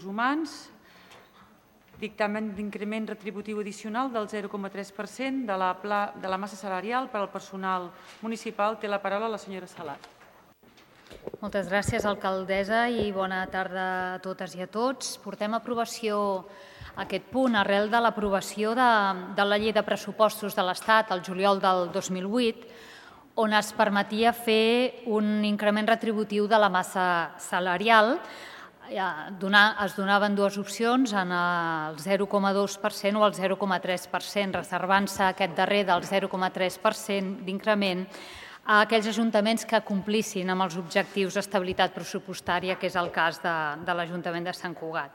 humans, dictamen d'increment retributiu addicional del 0,3% de la massa salarial per al personal municipal. Té la paraula la senyora Salat. Moltes gràcies, alcaldessa, i bona tarda a totes i a tots. Portem a aprovació aquest punt arrel de l'aprovació de la llei de pressupostos de l'Estat el juliol del 2008, on es permetia fer un increment retributiu de la massa salarial. Es donaven dues opcions, en el 0,2% o el 0,3%, reservant-se aquest darrer del 0,3% d'increment a aquells ajuntaments que complissin amb els objectius d'estabilitat pressupostària, que és el cas de l'Ajuntament de Sant Cugat.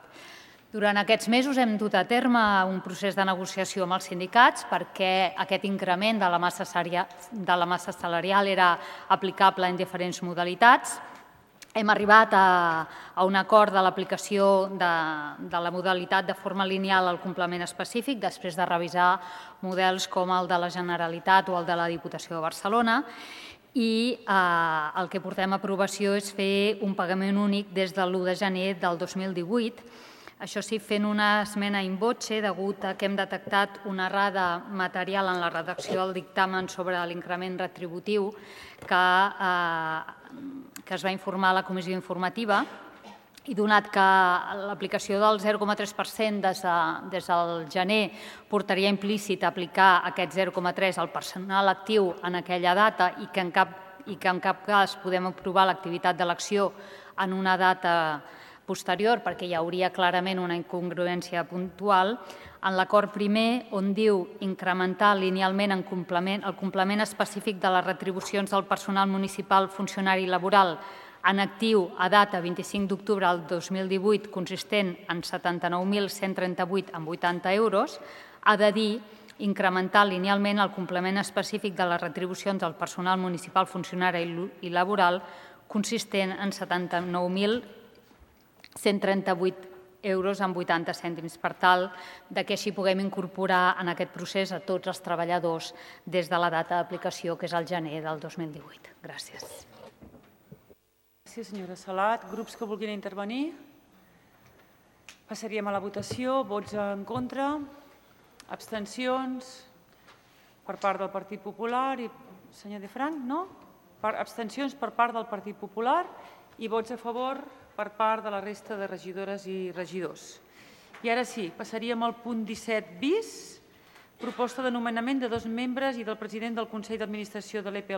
Durant aquests mesos hem dut a terme un procés de negociació amb els sindicats perquè aquest increment de la massa salarial era aplicable en diferents modalitats. Hem arribat a un acord de l'aplicació de la modalitat de forma lineal al complement específic després de revisar models com el de la Generalitat o el de la Diputació de Barcelona, i el que portem a aprovació és fer un pagament únic des de l'1 de gener del 2018. Això sí, fent una esmena in voce, degut a que hem detectat una errada material en la redacció del dictamen sobre l'increment retributiu que es va informar a la comissió informativa, i donat que l'aplicació del 0,3% des del gener portaria implícit a aplicar aquest 0,3 al personal actiu en aquella data i que en cap cas podem aprovar l'activitat d'elecció en una data posterior perquè hi hauria clarament una incongruència puntual, en l'acord primer, on diu incrementar linealment el complement específic de les retribucions del personal municipal funcionari i laboral en actiu a data 25 d'octubre del 2018 consistent en 79.138,80 euros, ha de dir incrementar linealment el complement específic de les retribucions del personal municipal funcionari i laboral consistent en 79.138,80 euros. Per tal que així puguem incorporar en aquest procés a tots els treballadors des de la data d'aplicació, que és el gener del 2018. Gràcies. Gràcies, senyora Salat. Grups que vulguin intervenir? Passaríem a la votació. Vots en contra? Abstencions? Per part del Partit Popular i senyor De Franc, no? Abstencions per part del Partit Popular i vots a favor per part de la resta de regidores i regidors. I ara sí, passaríem al punt 17 bis, proposta de nomenament de 2 membres i del president del Consell d'Administració de l'EPL